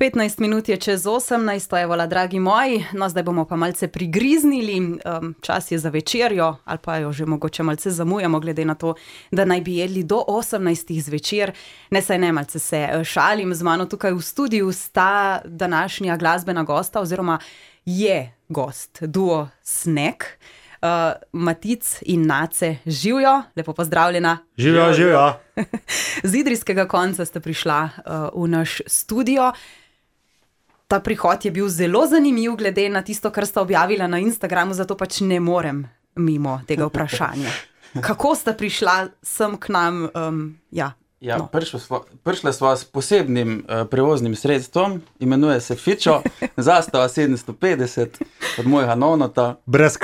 15 minut je čez 18, evola, dragi moji, no zdaj bomo pa malce prigriznili, čas je za večerjo, ali pa jo že mogoče malce zamujamo, glede na to, da naj bi jedli do 18 zvečer. Ne, malce se šalim, z mano tukaj v studiu sta današnja glasbena gosta, oziroma je gost, duo Snack. Matic in Nace, živjo, lepo pozdravljena. Živjo. Z idrijskega konca ste prišla v naš studio. Ta prihod je bil zelo zanimiv, glede na tisto, kar sta objavila na Instagramu, zato pač ne morem mimo tega vprašanja. Kako sta prišla sem k nam? Prišla sva s posebnim prevoznim sredstvom, imenuje se Fičo, zastava 750 od mojega nonota. Brez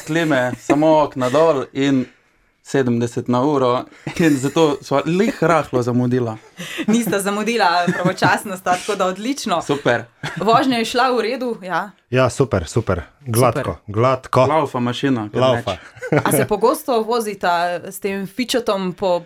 klime, samo okna dol in 70 na uro, in zato sva rahlo zamudila. Nista zamudila, pravočasno sta, tako da odlično. Super. Vožnja je šla v redu, ja? Ja, super. Gladko. Laufa mašina. Laufa. A se pogosto vozita s tem Fičotom po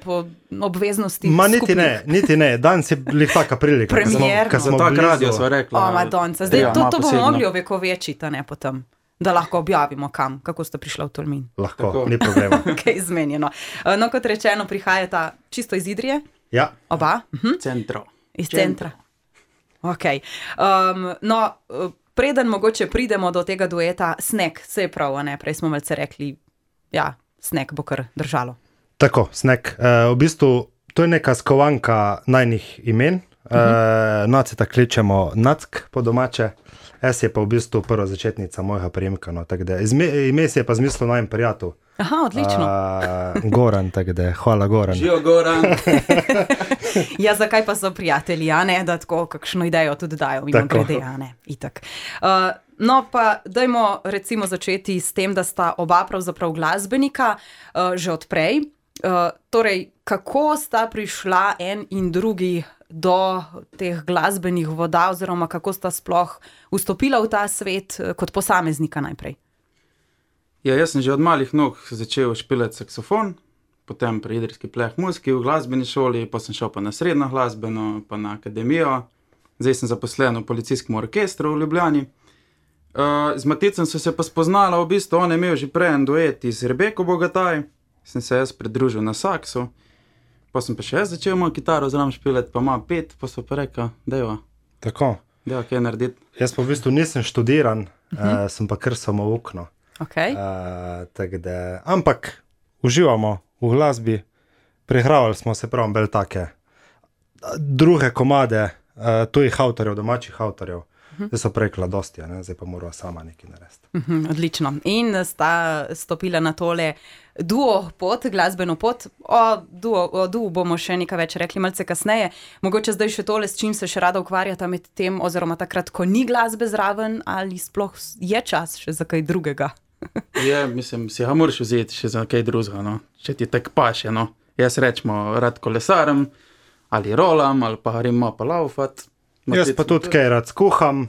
obveznosti skupnih? Niti ne. Danes je taka prilika. Premierno. Za tak radio sva rekla. O, Madonca. Zdaj, to bomo mogli ovekovečiti, ne potem. Da lahko objavimo kam, kako sta prišla v Tolmin. Lahko, tako. Ni problema. Okay, zmenjeno. No, kot rečeno, prihajata čisto iz Idrije? Ja. Oba? Centro. Iz centra. Ok. Preden mogoče pridemo do tega dueta Snack, se je prav, ne? Prej smo malce rekli, ja, Snack bo kar držalo. Tako, Snack. V bistvu, to je neka skovanka najnih imen. Naceta kličemo Nack po domače. S je pa v bistvu prva začetnica mojega prijemka, no, tako da ime si je pa zmislil najem prijatelj. Aha, odlično. Goran, tako da, hvala Goran. Žijo Goran. Ja, zakaj pa so prijatelji, a ne, da tako kakšno idejo tudi dajo, mimo glede, a ne, itak. No, pa dajmo recimo začeti s tem, da sta oba pravzaprav glasbenika že odprej. Torej, kako sta prišla en in drugi do teh glasbenih voda, oziroma kako sta sploh vstopila v ta svet kot posameznika najprej? Ja, jaz sem že od malih nog začel špilati saksofon, potem pri idrijski pleh muziki v glasbeni šoli, pa sem šel pa na srednjo glasbeno, pa na akademijo. Zdaj sem zaposlen v policijskem orkestru v Ljubljani. Z Maticem so se pa spoznala, v bistvu on je imel že prej en duet z Rebeko Bogataj, sem se jaz pridružil na saksu. Pa sem pa še jaz začel mojo kitaro zraven špilati, pa ima 5, pa so pa rekel, dajva. Tako. Dajva, kaj narediti. Jaz pa v bistvu nisem študiran, sem pa kar samoukno. Okay. Ampak uživamo v glasbi, prihravali smo se prav bolj take druge komade, tujih avtorjev, domačih avtorjev. Zdaj so rekla dosti, zdaj pa morava sama nekaj narediti. Odlično. In sta stopila na tole duo pot, glasbeno pot. O duo bomo še nekaj več rekli malce kasneje. Mogoče zdaj še tole, s čim se še rada ukvarjata med tem, oziroma takrat, ko ni glasbe zraven, ali sploh je čas še za kaj drugega? Ja, mislim, si ga moraš vzeti še za kaj drugega, no. Če ti tak paše, no. Jaz rečemo rad kolesarem, ali rolam, ali pa grem pa laufat. Jaz pa tudi kaj rad skuham,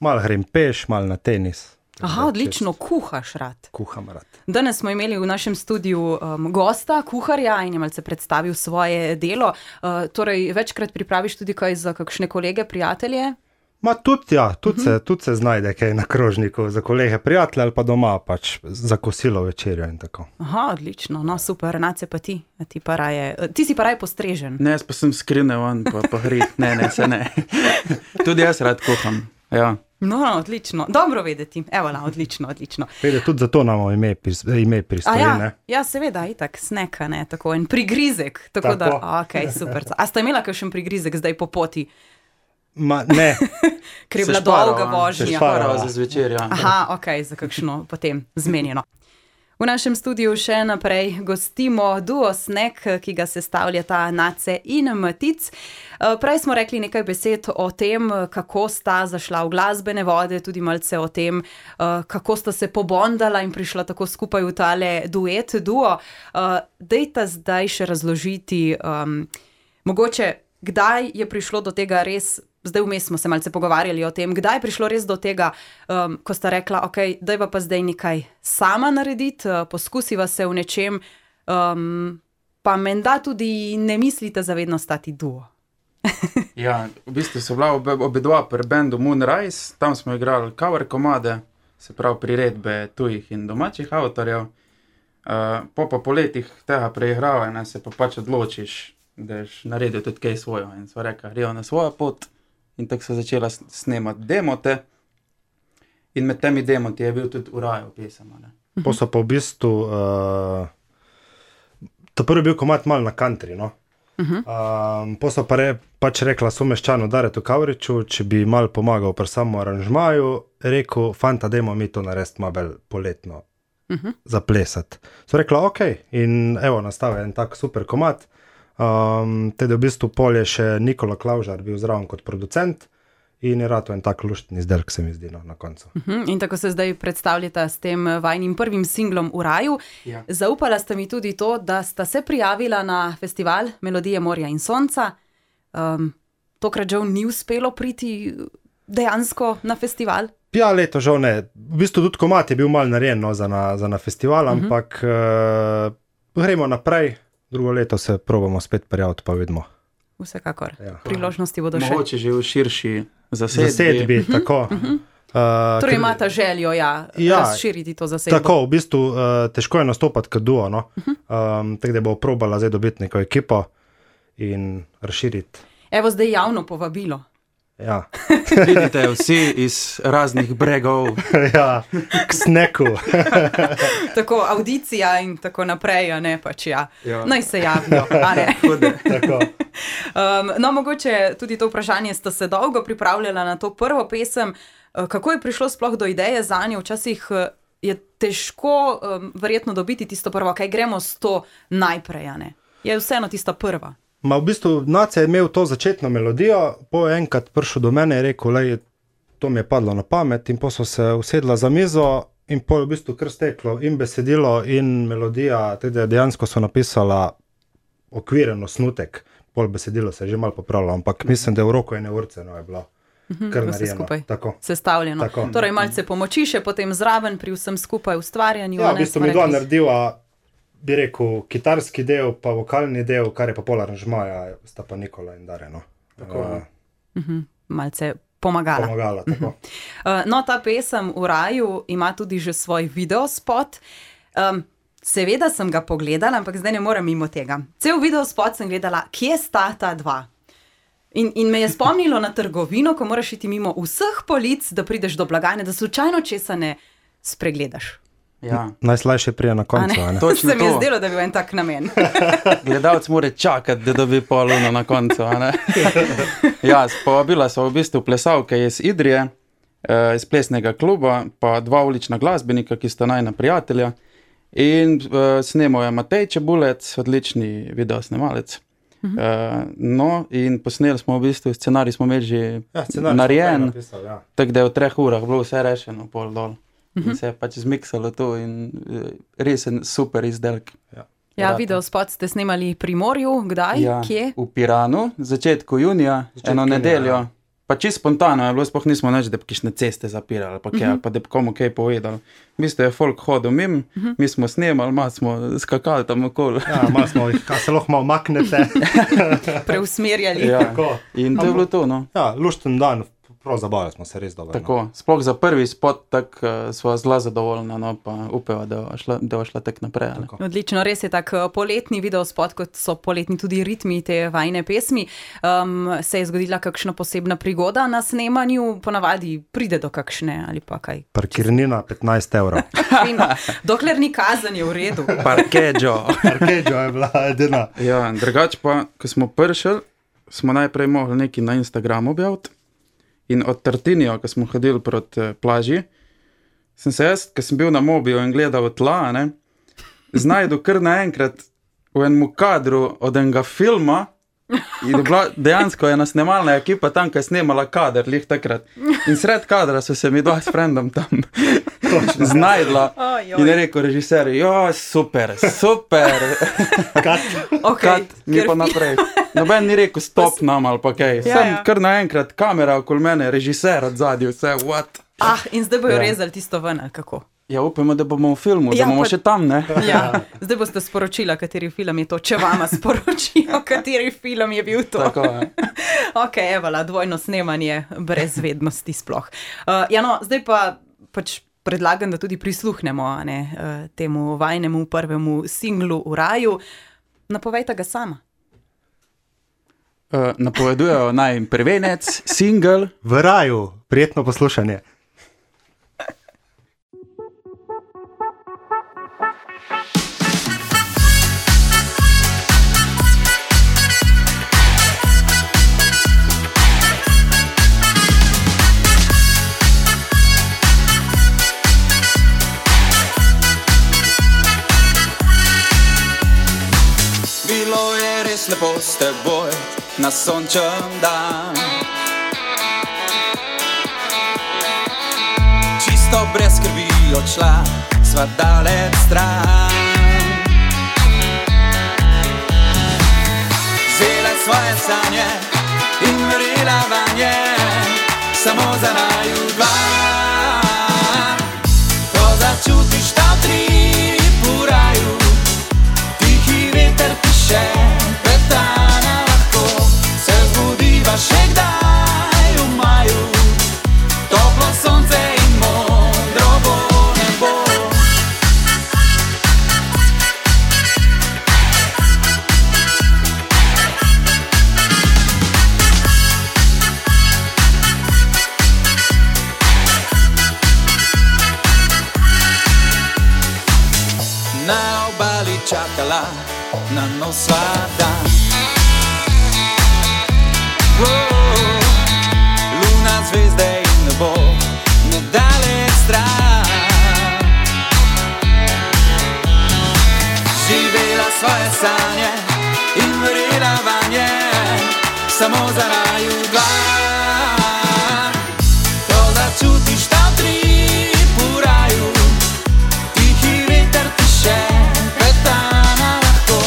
malo grem peš, malo na tenis. Aha, odlično, kuhaš rad. Kuham rad. Danes smo imeli v našem studiu gosta, kuharja, in je malce predstavil svoje delo. Torej, večkrat pripraviš tudi kaj za kakšne kolege, prijatelje? Tudi se znajde kaj na krožniku za kolege, prijatelje ali pa doma, pač za kosilo, večerjo in tako. Aha, odlično, no super, Nace pa ti. Ti si pa raje postrežen. Ne, jaz pa sem skrine van, pa hrit. Ne, se ne. Tudi jaz rad kuham, ja. No, odlično, dobro vedeti. Evola, odlično. Vede, tudi zato imamo ime pristoji, ne? Ja, seveda, itak, Snack, ne, tako en prigrizek. Tako. Da, ok, super. A sta imela kakšen prigrizek zdaj po poti? Ne. Ker je bila dolga vožnja. Se šparava za zvečer, ja. Aha, ok, za kakšno potem zmenjeno. V našem studiu še naprej gostimo duo Snack, ki ga sestavljata Nace in Matic. Prej smo rekli nekaj besed o tem, kako sta zašla v glasbene vode, tudi malce o tem, kako sta se pobondala in prišla tako skupaj v tale duet, duo. Dejta zdaj še razložiti, mogoče, kdaj je prišlo do tega res. Zdaj vmes smo se malce pogovarjali o tem, kdaj je prišlo res do tega, ko sta rekla, ok, dajva pa zdaj nekaj sama narediti, poskusiva se v nečem, pa menda tudi ne mislite zavedno stati duo. Ja, v bistvu so bila obedva pri bendu Moonrise, tam smo igrali cover komade, se pravi priredbe tujih in domačih avtorjev. Po letih tega preigravanja se pa pač odločiš, da ješ naredil tudi kaj svojo. In so rekli, grejo na svojo pot in tako so začela snemati demote. In med temi demoti je bil tudi Urajov pesem. Po so pa v bistvu, ta prvi bil komad malo na country, no. Po so pa pač rekla someščanu Daretu Kavriču, če bi malo pomagal pri samo aranžmaju, rekel, fanta, dajmo mi to narediti malo bolj poletno, zaplesati. So rekla, ok, in evo, nastavil en tak super komad. Teda v bistvu pol je še Nikola Klavžar bil zraven kot producent in je rato en tak luštni izdelek, se mi zdi, no, na koncu. In tako se zdaj predstavljata s tem vajnim prvim singlom V raju. Ja. Zaupala sta mi tudi to, da sta se prijavila na festival Melodije morja in sonca. Tokrat žal ni uspelo priti dejansko na festival. Ja, leto žal ne. V bistvu tudi komad je bil malo narejen, no, za na festival, ampak gremo naprej. Drugo leto se probamo spet prijaviti, pa vidimo. Vsekakor. Ja. Priložnosti bodo še. Mogoče že v širši zasedbi. Tako. Torej imata željo, razširiti to zasedbo. Tako, v bistvu težko je nastopati kot duo, no. Tako da bo probala zdaj dobiti neko ekipo in razširiti. Evo zdaj javno povabilo. Ja. Vidite vsi iz raznih bregov. Ja, k sneku. Tako, audicija in tako naprej, a ne pač ja. Naj se javijo, a ne. Tako. No, mogoče tudi to vprašanje, sta se dolgo pripravljala na to prvo pesem. Kako je prišlo sploh do ideje zanjo? Včasih je težko verjetno dobiti tisto prvo, kaj gremo s to najprej, a ne. Je vseeno tista prva. Ma v bistvu Nace je imel to začetno melodijo, po enkrat prišel do mene in rekel, lej, to mi je padlo na pamet in po so se usedla za mizo in po je v bistvu kar steklo in besedilo in melodija, teda dejansko so napisala okviren osnutek, pol besedilo se je že malo popravilo, ampak mislim, da je v roku ene urce, no, je bilo kar vse narejeno. skupaj Tako. sestavljeno. Tako. Torej malce pomoči še potem zraven pri vsem skupaj ustvarjanju. Ja, a v ne, bistvu smo mi dva rekli. narediva, bi rekel, kitarski del, pa vokalni del, kar je pa pol aranžmaja, sta pa Nikola in Dare, no. Tako. Malce pomagala. Pomagala, tako. No, ta pesem V raju ima tudi že svoj videospot. Seveda sem ga pogledala, ampak zdaj ne morem mimo tega. Cel videospot sem gledala, kje sta ta dva. In me je spomnilo na trgovino, ko moraš iti mimo vseh polic, da prideš do blagajne, da slučajno česa ne spregledaš. Ja. Najslajše prije na koncu, a ne? Točno Se mi je to. zdelo, da bi bil en tak namen. Gledalec mora čakati, da dobi poluno na koncu, a ne? Ja, povabila so v bistvu plesalke iz Idrije, iz plesnega kluba, pa dva ulična glasbenika, ki sta najna prijatelja. In snemal je Matej Čebulec, odlični videosnemalec. No, in posneli smo v bistvu, scenarij smo imeli že narejen, tako da je v 3 urah bilo vse rešeno, pol dol. In se je pač zmiksalo to in resen super izdelek. Ja, videospot ste snemali pri morju, kdaj, Ja, kje? v Piranu, začetku junija, eno nedeljo. Pa čisto spontano je bilo, sploh nismo nič, da bi kakšne ceste zapirali, pa kaj, ali pa da bi komu kaj povedali. V bistvu je folk hodil mimo, mi smo snemali, malo smo skakali tam okoli. Ja, malo smo jih, a se lahko malo maknete. Preusmerjali. Ja. Tako. In to je bilo to, no. Ja, lušten dan, prav zabavili smo se res dobro. Tako, sploh za prvi spot, tako sva zelo zadovoljna, no, pa upeva, da bo šla tak naprej. Ali. Odlično, res je tak poletni videospot, kot so poletni tudi ritmi te vajne pesmi. Se je zgodila kakšna posebna prigoda na snemanju, ponavadi pride do kakšne ali pa kaj? Parkirnina 15 €. Fino. Dokler ni kazen, je v redu. Parkeđo. Parkeđo je bila edina. Ja, drugače pa, ko smo prišli, smo najprej mogli nekaj na Instagramu objaviti. In od Tartinijo, ko smo hodili proti plaži, sem se jaz, ko sem bil na mobilu in gledal tla, ne, znajdu kar naenkrat v enem kadru od enega filma. In bila, dejansko je ena snemalna ekipa tam, ki je snemala kader, lih takrat. In sred kadra so se mi dva s frendom tam znajdla. In je rekel režiser, jo, super, super. Okay, Mi pa naprej. Noben ni rekel stop nam ali pa kaj. Sem kar naenkrat kamera okoli mene, režiser od zadnji, vse, what? In zdaj bojo rezali tisto ven, ali kako? Ja, upamo, da bomo v filmu, Ja, da bomo pa- še tam, ne? Ja, zdaj boste sporočila, kateri film je to, če vama sporočijo, kateri film je bil to. Tako, ja. Ok, evala, dvojno snemanje brez vednosti sploh. Ja, no, zdaj pa pač predlagam, da tudi prisluhnemo temu vajnemu prvemu singlu V raju. Napovejte ga sama. Napovedujejo naj prvenec, single. V raju, prijetno poslušanje. Bilo je res lepo s teboj na sončen dan. Čisto brez skrbi odšla sva daleč stran. Vzela svoje sanje in verjela vanje, samo za naju dva. Ko začutiš ta utrip v raju, tihi veter piše, petana lahko se zbudiva še kdaj v maju. Toplo sonce in modro bo nebo. Na obali čakala na nov sva dan. Luna, zvezde in nebo, nedaleč stran. Živela svoje sanje in verjela vanje, samo za naju dva. Ko začutiš ta utrip v raju, tihi veter piše, petana lahko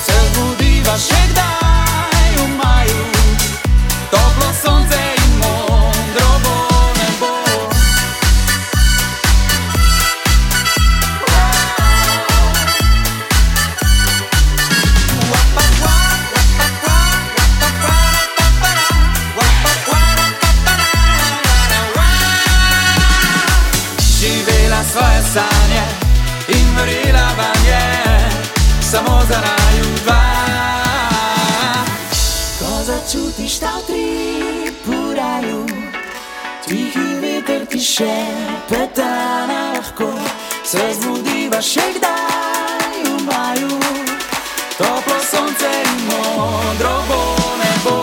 se zbudiva še kdaj v maju. Toplo sonce in modro bo nebo. Živela svoje sanje in verjela vanje, samo za naju dva. Ko začutiš ta utrip v raju, tihi veter piše, petana lahko se zbudiva še kdaj v maju. Toplo sonce in modro bo nebo.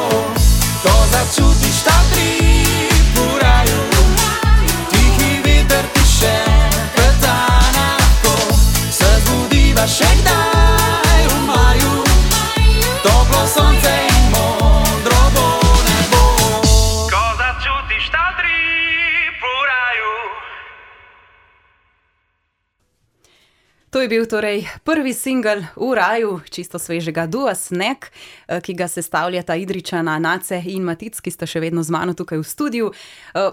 Ko začutiš ta utrip v raju, tihi veter piše, petana lahko se zbudiva še kdaj v maju. Toplo sonce in modro bo nebo. Ko začutiš ta utrip v raju. To je bil torej prvi singel V raju, čisto svežega dua Sneg, ki ga sestavljata Idrijčana Nace in Matic, ki sta še vedno z mano tukaj v studiu.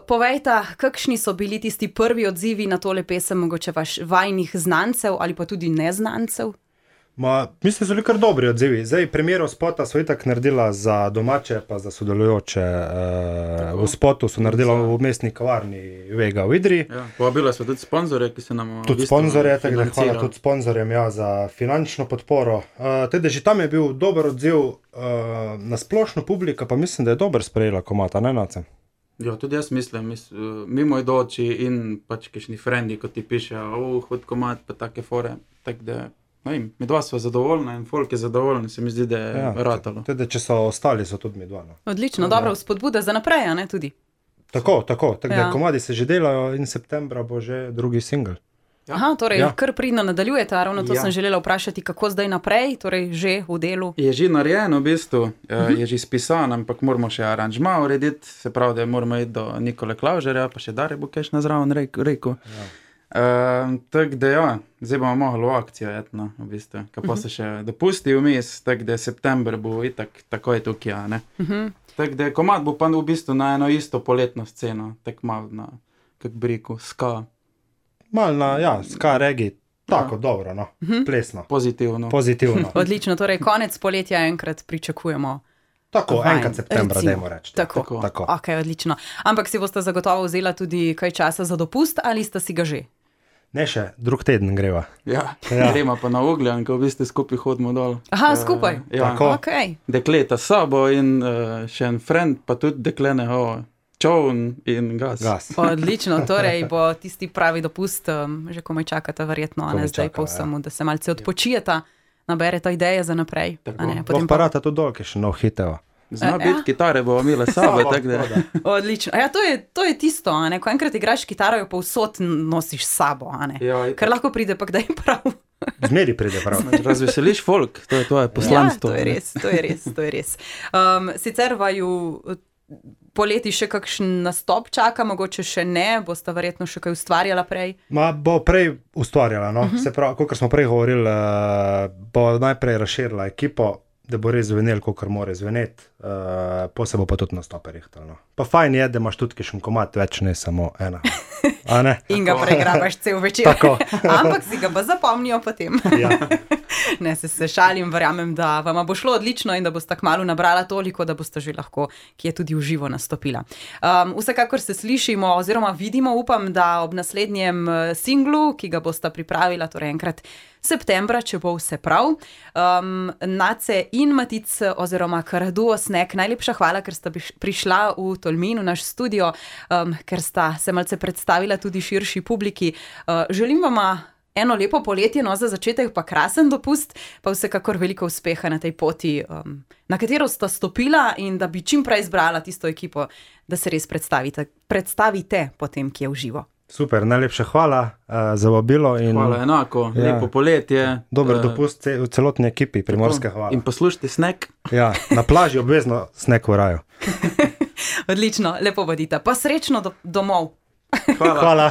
Povejta, kakšni so bili tisti prvi odzivi na tole pesem, mogoče vajnih znancev ali pa tudi neznancev? Mislim, da so bili kar dobri odzivi. Zdaj, premiero spota so itak naredila za domače, pa za sodelujoče. V spotu so naredila v mestni kavarni Vega v Idriji. Ja, povabila smo tudi sponzorje, ki se nam Tudi sponzorje, tako da hvala tudi sponzorjem za finančno podporo. Teda že tam je bil dober odziv, na splošno publika pa mislim, da je dober sprejela komata, ne Nace? Ja, tudi jaz mislim, mimoidoči in pač kakšni frendi, ko ti pišejo, hod komad, pa take fore, tako da, no vem, mi dva sva zadovoljna in folk je zadovoljen, se mi zdi, da je ratalo. Teda, če so ostali, so tudi mi dva. No. Odlično, dobra vzpodbuda za naprej, a ne tudi? Tako, da komadi se že delajo in septembra bo že drugi singel. Aha, torej kar pridno nadaljujete, ravno to sem želela vprašati, kako zdaj naprej, torej že v delu. Je že narejeno v bistvu, je že spisan, ampak moramo še aranžma urediti, se pravi, da moramo iti do Nikole Klavžerja, pa še Dare bo kaj na zraven rekel. Tako da ja, zdaj bomo mogli v akcijo jetno, v bistvu, kako se še dopusti vmes, tako da september bo itak takoj tukaj, ne. Tako da komad bo pa v bistvu na eno isto poletno sceno, tako malo na, kako bi rekel, ska. Mal na, ja, ska regi, tako dobro, no, plesno, Pozitivno. pozitivno. Odlično, torej konec poletja enkrat pričakujemo. Tako, Fajn, enkrat septembra, recimo. dajmo reči. Tako. Tako. Ok, odlično. Ampak si boste zagotovo vzela tudi kaj časa za dopust ali sta si ga že? Ne še, drug teden greva. Ja, Ja. gremo pa na Ugljan, ko v bistvu skupaj hodimo dol. Aha, skupaj? Ja, Tako. Ok, dekleta s sabo in še en friend, pa tudi deklene, čovn in gas. Gas. odlično. Torej bo tisti pravi dopust, že komaj čakate verjetno, a ne Komaj zdaj čakava, po vsemu, da se malce odpočijeta, nabereta ideje za naprej. Tako. a ne, Lahko potem pa pa... rata tudi dol, ki še nov hiteva. Zna Ja. biti kitare, bomo imeli s sabo, tako da. Odlično. Ja, to je tisto, a ne? Ko enkrat igraš kitaro, jo povsod nosiš s sabo, a ne? Ja, Ker lahko pride pa kdaj prav. Zmeri pride prav. razveseliš folk, to je tvoje poslanstvo. Ja, to je res, to je res, to je res. Sicer vaju poleti še kakšen nastop čaka, mogoče še ne, boste verjetno še kaj ustvarjala prej. Ma bo prej ustvarjala, no? Se pravi, kot smo prej govorili, bo najprej razširila ekipo, da bo res zvenel, kot mora zveneti, po se bo pa tudi nastope rihtal. No. Pa fajn je, da imaš tudi kakšen komad, več ne samo ena. A ne? In ga pregrabaš cel večer. Tako. Ampak si ga pa zapomnijo potem. Ja. Ne, se šalim, verjamem, da vam bo šlo odlično in da boste kmalu nabrala toliko, da boste že lahko, ki je tudi v živo nastopila. Vsekakor se slišimo oziroma vidimo, upam, da ob naslednjem singlu, ki ga boste pripravila, torej enkrat septembra, če bo vse prav. Nace in Matic oziroma kar duo Sneg, najlepša hvala, ker sta prišla v Tolmin, v naš studio, ker sta se malce predstavila tudi širši publiki. Želim vama eno lepo poletje, no za začetek pa krasen dopust, pa vsekakor veliko uspeha na tej poti, na katero sta stopila in da bi čim prej izbrala tisto ekipo, da se res predstavite potem, ki je v živo. Super, najlepša hvala za vabilo. In Hvala enako, Ja. lepo poletje. dober dopust v celotni ekipi Primorske, hvala. In poslušajte Sneg. Ja, na plaži obvezno Sneg v raju. Odlično, lepo bodite, pa srečno domov. Hvala. Hvala.